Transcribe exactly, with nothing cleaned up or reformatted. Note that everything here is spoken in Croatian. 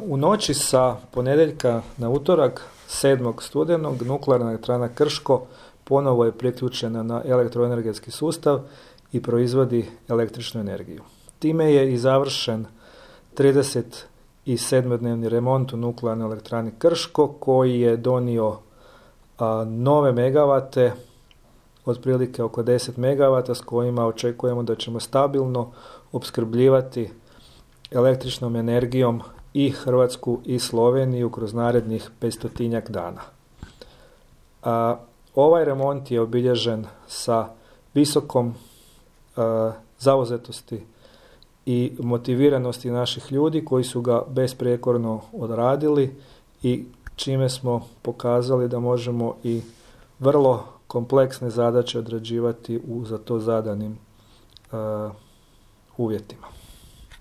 U noći sa ponedjeljka na utorak, sedmog studenog, nuklearna elektrana Krško ponovo je priključena na elektroenergetski sustav i proizvodi električnu energiju. Time je i završen trideset sedmodnevni remont u nuklearnoj elektrani Krško koji je donio a, nove megavate, otprilike oko deset megavata s kojima očekujemo da ćemo stabilno opskrbljivati električnom energijom i Hrvatsku i Sloveniju kroz narednih petstotinjak dana. A, ovaj remont je obilježen sa visokom a, zauzetosti i motiviranosti naših ljudi koji su ga besprijekorno odradili i čime smo pokazali da možemo i vrlo kompleksne zadaće odrađivati u za to zadanim uh, uvjetima.